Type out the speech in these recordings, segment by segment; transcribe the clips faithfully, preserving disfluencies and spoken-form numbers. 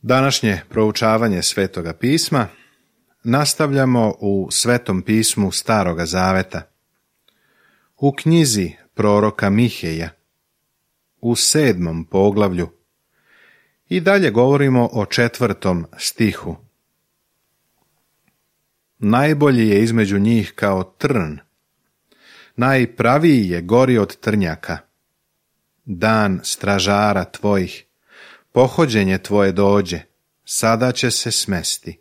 Današnje proučavanje Svetoga pisma nastavljamo u Svetom pismu Staroga Zaveta, u knjizi proroka Miheja, u sedmom poglavlju, i dalje govorimo o četvrtom stihu. Najbolji je između njih kao trn, najpraviji je gori od trnjaka. Dan stražara tvojih, pohođenje tvoje dođe, sada će se smesti.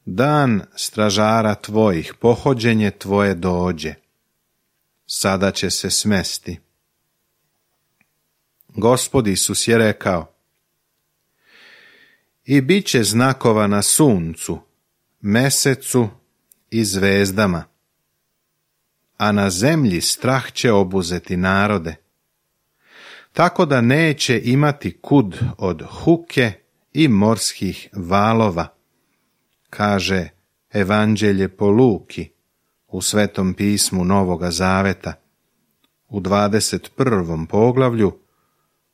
Dan stražara tvojih, pohođenje tvoje dođe, sada će se smesti. Gospod Isus je rekao: i bit će znakova na suncu, mesecu i zvezdama, a na zemlji strah će obuzeti narode, tako da neće imati kud od huke i morskih valova, kaže Evanđelje po Luki u Svetom pismu Novoga Zaveta, u dvadeset prvom poglavlju,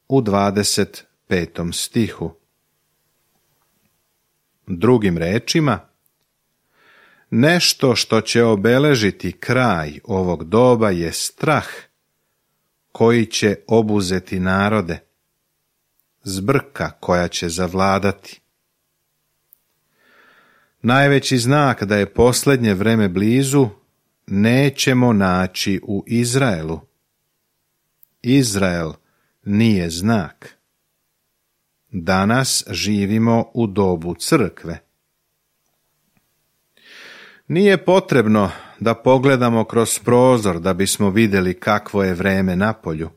u dvadeset petom stihu. Drugim rečima, nešto što će obeležiti kraj ovog doba je strah koji će obuzeti narode, zbrka koja će zavladati. Najveći znak da je posljednje vreme blizu nećemo naći u Izraelu. Izrael nije znak. Danas živimo u dobu crkve. Nije potrebno da pogledamo kroz prozor da bismo vidjeli kakvo je vreme napolju.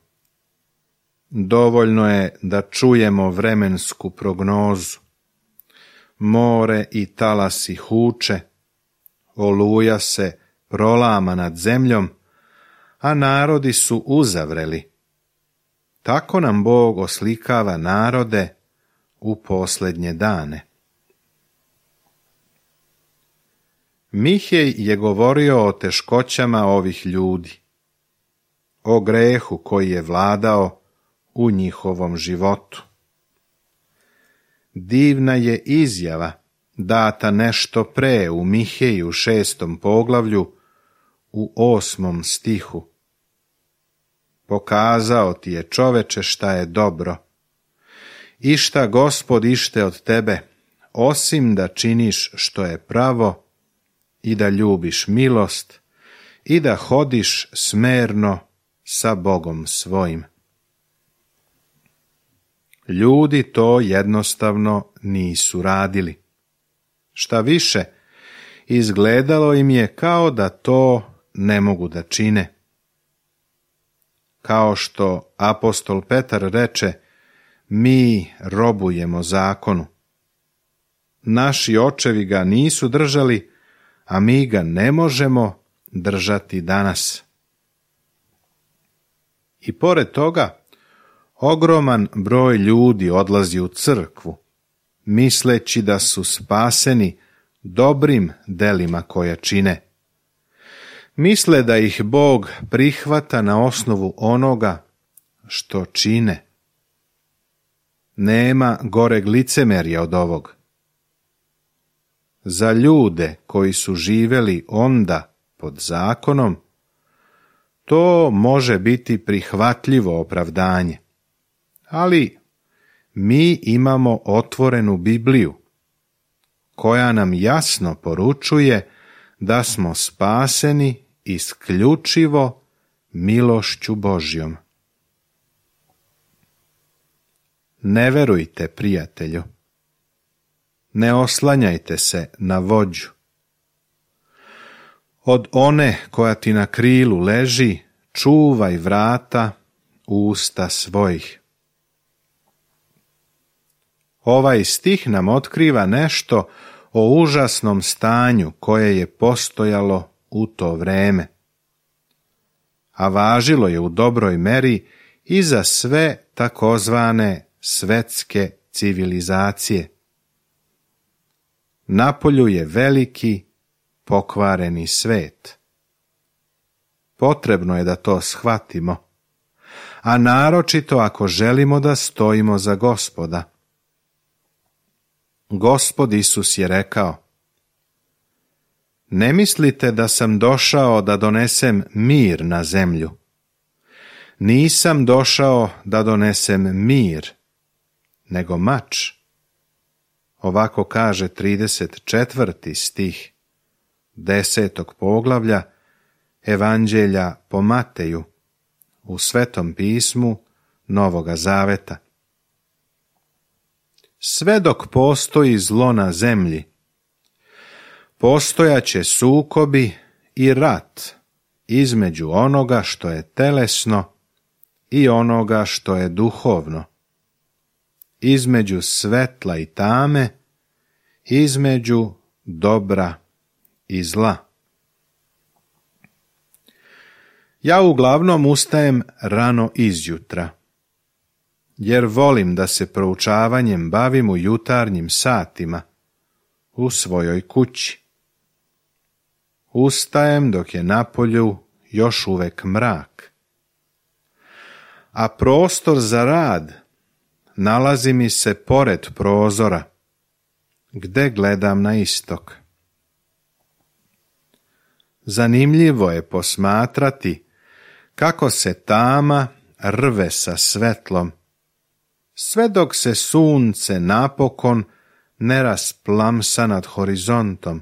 Dovoljno je da čujemo vremensku prognozu. More i talasi huče, oluja se prolama nad zemljom, a narodi su uzavreli. Tako nam Bog oslikava narode u posljednje dane. Mihej je govorio o teškoćama ovih ljudi, o grehu koji je vladao u njihovom životu. Divna je izjava data nešto pre u Miheju šestom poglavlju u osmom stihu. Pokazao ti je, čoveče, šta je dobro, i šta Gospod ište od tebe, osim da činiš što je pravo i da ljubiš milost i da hodiš smerno sa Bogom svojim. Ljudi to jednostavno nisu radili. Šta više, izgledalo im je kao da to ne mogu da čine. Kao što apostol Petar reče, mi robujemo zakonu. Naši očevi ga nisu držali, a mi ga ne možemo držati danas. I pored toga, ogroman broj ljudi odlazi u crkvu, misleći da su spaseni dobrim delima koja čine. Misle da ih Bog prihvata na osnovu onoga što čine. Nema goreg licemerja od ovog. Za ljude koji su živeli onda pod zakonom, to može biti prihvatljivo opravdanje. Ali mi imamo otvorenu Bibliju, koja nam jasno poručuje da smo spaseni isključivo milošću Božjom. Ne verujte, prijatelju. Ne oslanjajte se na vođu. Od one koja ti na krilu leži, čuvaj vrata usta svojih. Ovaj stih nam otkriva nešto o užasnom stanju koje je postojalo u to vreme, a važilo je u dobroj meri i za sve takozvane svetske civilizacije. Napolju je veliki, pokvareni svet. Potrebno je da to shvatimo, a naročito ako želimo da stojimo za Gospoda. Gospod Isus je rekao: ne mislite da sam došao da donesem mir na zemlju. Nisam došao da donesem mir, nego mač. Ovako kaže trideset četvrti stih desetog poglavlja Evanđelja po Mateju u Svetom pismu Novoga Zaveta. Sve dok postoji zlo na zemlji, postojaće sukobi i rat između onoga što je telesno i onoga što je duhovno, između svetla i tame, između dobra i zla. Ja uglavnom ustajem rano izjutra, jer volim da se proučavanjem bavim u jutarnjim satima u svojoj kući. Ustajem dok je napolju još uvek mrak, a prostor za rad nalazi mi se pored prozora, gde gledam na istok. Zanimljivo je posmatrati kako se tama rve sa svetlom, sve dok se sunce napokon ne rasplamsa nad horizontom,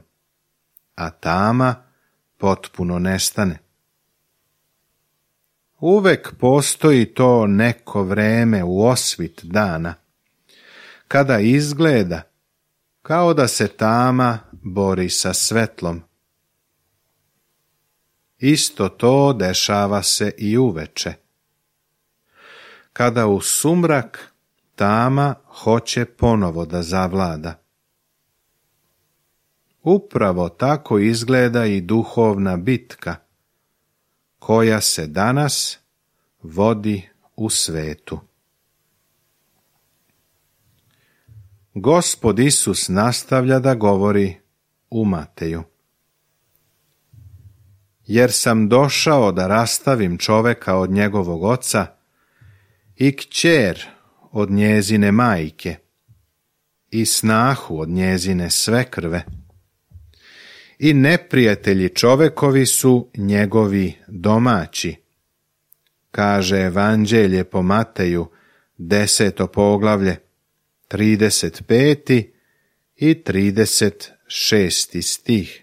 a tama potpuno nestane. Uvek postoji to neko vreme u osvit dana, kada izgleda kao da se tama bori sa svetlom. Isto to dešava se i uveče, kada u sumrak tama hoće ponovo da zavlada. Upravo tako izgleda i duhovna bitka, koja se danas vodi u svetu. Gospod Isus nastavlja da govori u Mateju: jer sam došao da rastavim čoveka od njegovog oca i kćer od njezine majke i snahu od njezine svekrve, i neprijatelji čovekovi su njegovi domaći, kaže Evanđelje po Mateju, deseto poglavlje, trideset peti i trideset šesti stih.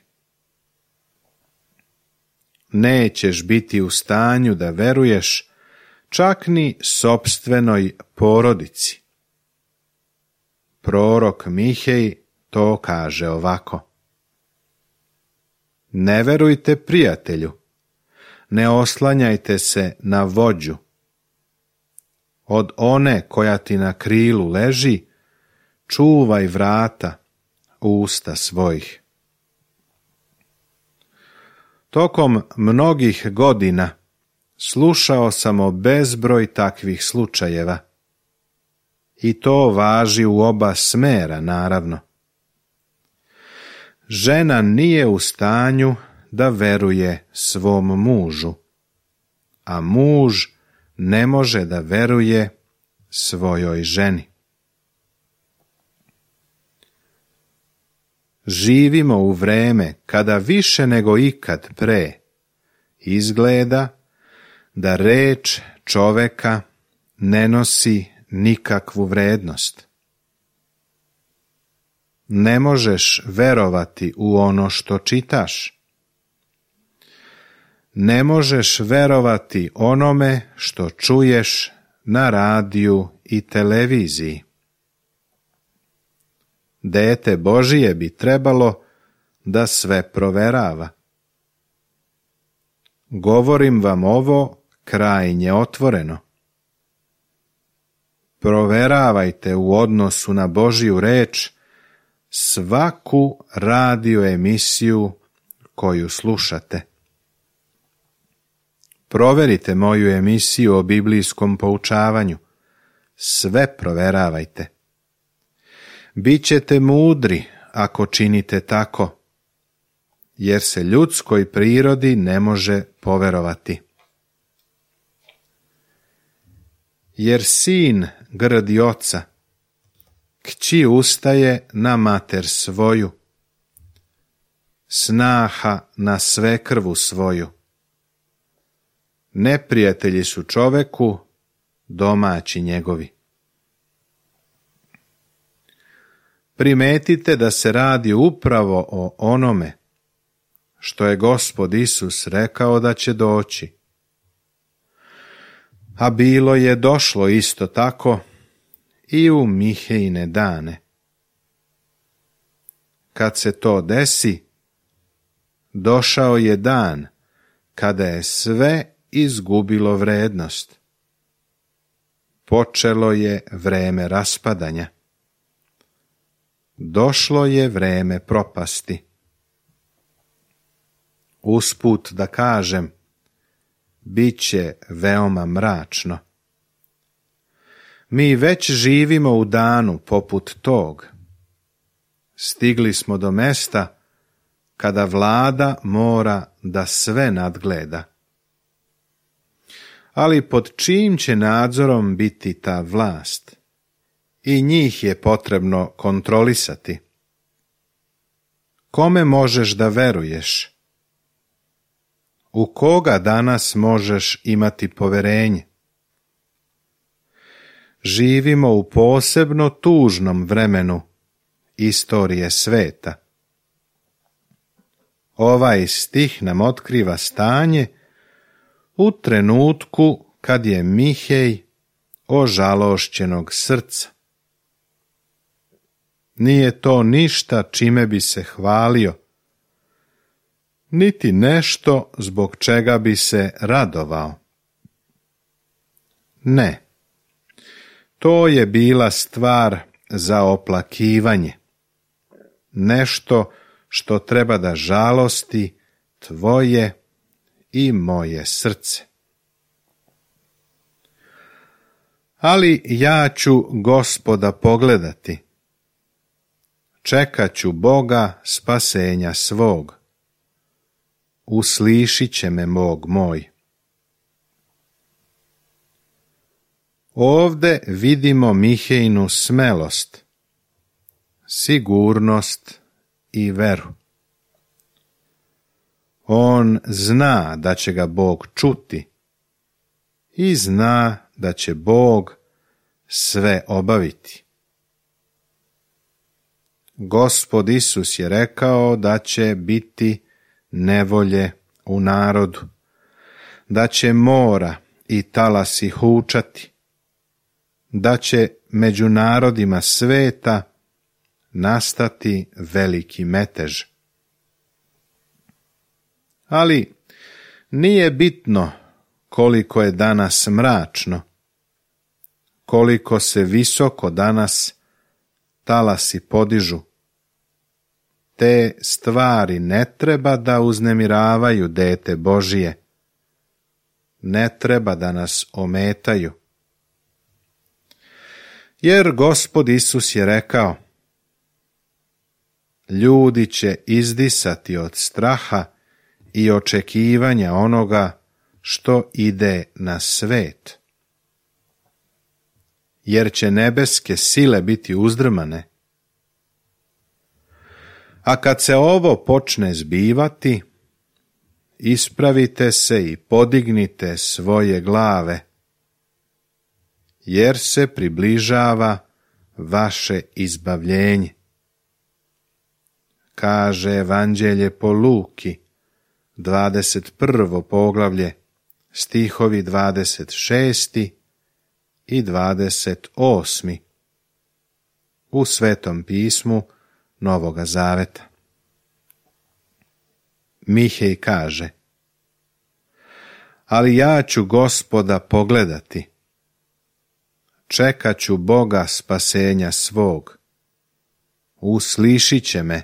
Nećeš biti u stanju da veruješ čak ni sopstvenoj porodici. Prorok Mihej to kaže ovako: ne verujte prijatelju, ne oslanjajte se na vođu. Od one koja ti na krilu leži, čuvaj vrata usta svojih. Tokom mnogih godina slušao sam o bezbroj takvih slučajeva. I to važi u oba smera, naravno. Žena nije u stanju da veruje svom mužu, a muž ne može da veruje svojoj ženi. Živimo u vreme kada više nego ikad pre izgleda da reč čoveka ne nosi nikakvu vrednost. Ne možeš verovati u ono što čitaš. Ne možeš verovati onome što čuješ na radiju i televiziji. Dete Božije bi trebalo da sve proverava. Govorim vam ovo krajnje otvoreno. Proveravajte u odnosu na Božju reč svaku radio emisiju koju slušate. Proverite moju emisiju o biblijskom poučavanju. Sve proveravajte. Bićete mudri ako činite tako, jer se ljudskoj prirodi ne može poverovati. jer sin grdi oca, kći ustaje na mater svoju, snaha na svekrvu svoju. Neprijatelji su čoveku domaći njegovi. Primetite da se radi upravo o onome što je Gospod Isus rekao da će doći. A bilo je došlo isto tako i u Mihejine dane. Kad se to desi, došao je dan kada je sve izgubilo vrednost. Počelo je vreme raspadanja. Došlo je vreme propasti. Usput da kažem, bit će veoma mračno. Mi već živimo u danu poput tog. Stigli smo do mesta kada vlada mora da sve nadgleda. Ali pod čijim će nadzorom biti ta vlast? I njih je potrebno kontrolisati. Kome možeš da veruješ? U koga danas možeš imati poverenje? Živimo u posebno tužnom vremenu istorije sveta. Ovaj stih nam otkriva stanje u trenutku kad je Mihej ožalošćenog srca. Nije to ništa čime bi se hvalio, niti nešto zbog čega bi se radovao. Ne, to je bila stvar za oplakivanje, nešto što treba da žalosti tvoje i moje srce. Ali ja ću Gospoda pogledati, čekat ću Boga spasenja svog, uslišit će me Bog moj. Ovde vidimo Mihejinu smelost, sigurnost i veru. On zna da će ga Bog čuti i zna da će Bog sve obaviti. Gospod Isus je rekao da će biti nevolje u narodu, da će mora i talasi hučati, da će među narodima sveta nastati veliki metež. Ali nije bitno koliko je danas mračno, koliko se visoko danas talasi podižu. Te stvari ne treba da uznemiravaju dete Božije, ne treba da nas ometaju. Jer Gospod Isus je rekao, ljudi će izdisati od straha i očekivanja onoga što ide na svet. Jer će nebeske sile biti uzdrmane. A kad se ovo počne zbivati, ispravite se i podignite svoje glave, jer se približava vaše izbavljenje. Kaže Evanđelje po Luki, dvadeset prvo poglavlje, stihovi dvadeset šesti i dvadeset osmi u Svetom pismu Novoga Zaveta. Mihej kaže, ali ja ću Gospoda pogledati, čekat ću Boga spasenja svog, uslišit će me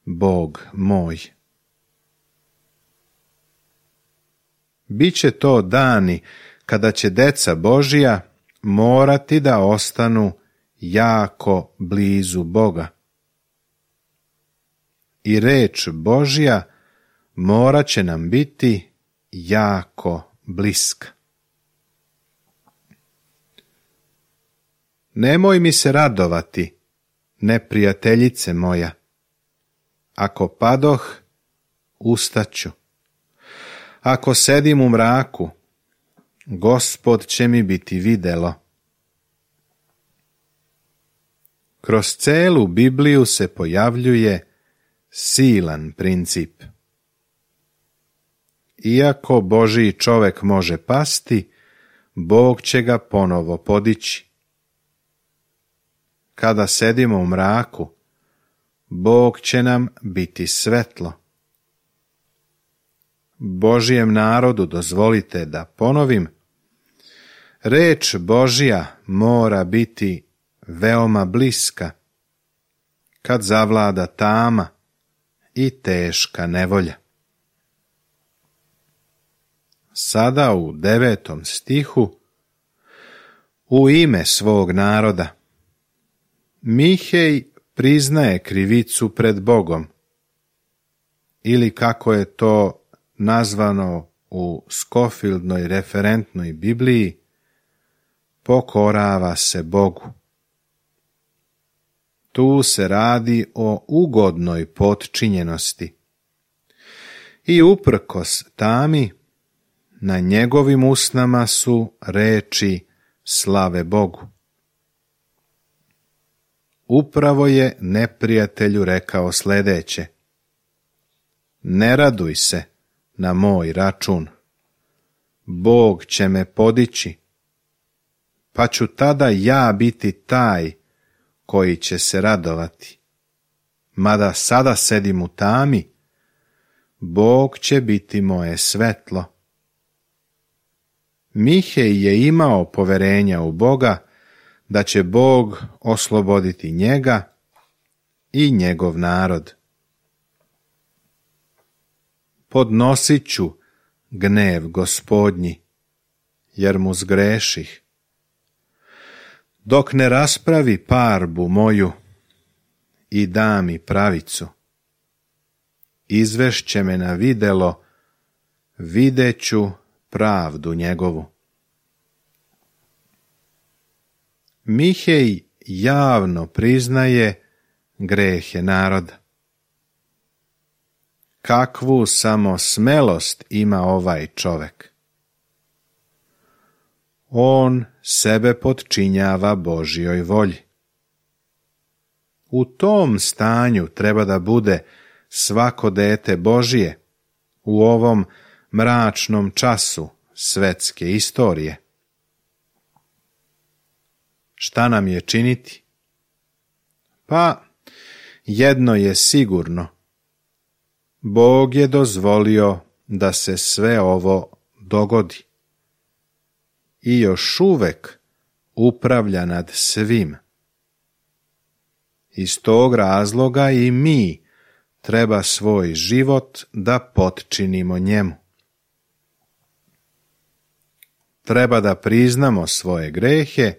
Bog moj. Biće to dani kada će deca Božija morati da ostanu jako blizu Boga. I reč Božja morat će nam biti jako bliska. Nemoj mi se radovati, neprijateljice moja. Ako padoh, ustaću. Ako sedim u mraku, Gospod će mi biti videlo. Kroz celu Bibliju se pojavljuje silan princip. Iako Božji čovek može pasti, Bog će ga ponovo podići. Kada sedimo u mraku, Bog će nam biti svetlo. Božjem narodu dozvolite da ponovim, reč Božja mora biti veoma bliska, kad zavlada tama i teška nevolja. Sada u devetom stihu, u ime svog naroda, Mihej priznaje krivicu pred Bogom, ili kako je to nazvano u Scofieldnoj referentnoj Bibliji, pokorava se Bogu. Tu se radi o ugodnoj potčinjenosti. I uprkos tami, na njegovim usnama su reči slave Bogu. Upravo je neprijatelju rekao sljedeće: ne raduj se na moj račun, Bog će me podići, pa ću tada ja biti taj koji će se radovati. Mada sada sedim u tami, Bog će biti moje svetlo. Mihej je imao poverenja u Boga da će Bog osloboditi njega i njegov narod. Podnosit ću gnev Gospodnji, jer mu zgreših. Dok ne raspravi parbu moju i da mi pravicu, izvešće me na videlo, videću pravdu njegovu. Mihej javno priznaje grehe naroda. Kakvu samo smelost ima ovaj čovek. On sebe potčinjava Božjoj volji. U tom stanju treba da bude svako dete Božje u ovom mračnom času svetske istorije. Šta nam je činiti? Pa, jedno je sigurno. Bog je dozvolio da se sve ovo dogodi. I još uvek upravlja nad svim. Iz tog razloga i mi treba svoj život da potčinimo njemu. Treba da priznamo svoje grehe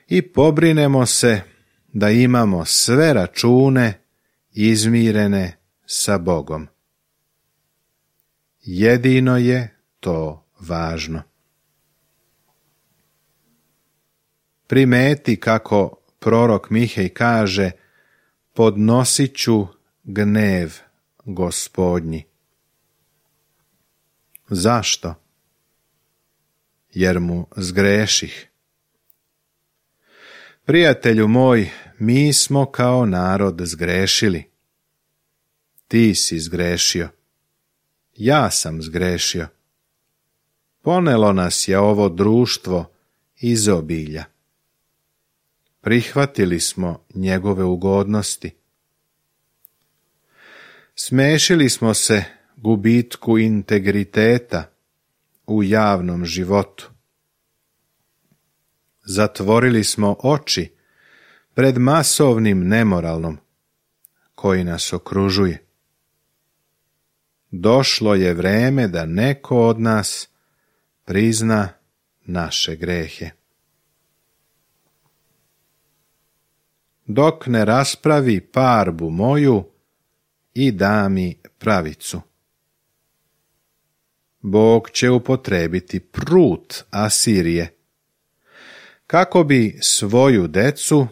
i pobrinemo se da imamo sve račune izmirene sa Bogom. Jedino je to važno. Primeti kako prorok Mihej kaže: podnosit ću gnev Gospodnji. Zašto? Jer mu zgreših. Prijatelju moj, mi smo kao narod zgrešili. Ti si zgrešio. Ja sam zgrešio. Ponelo nas je ovo društvo izobilja. Prihvatili smo njegove ugodnosti. Smešili smo se gubitku integriteta u javnom životu. Zatvorili smo oči pred masovnim nemoralnom koji nas okružuje. Došlo je vreme da neko od nas prizna naše grehe. Dok ne raspravi parbu moju i da mi pravicu. Bog će upotrebiti prut Asirije, kako bi svoju decu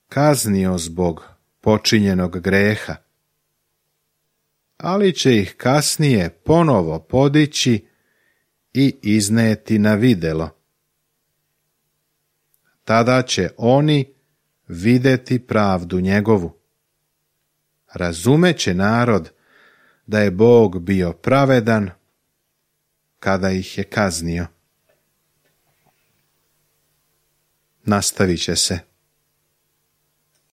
kaznio zbog počinjenog greha, ali će ih kasnije ponovo podići i izneti na videlo. Tada će oni vidjeti pravdu njegovu. Razumeće narod da je Bog bio pravedan kada ih je kaznio. Nastavit će se.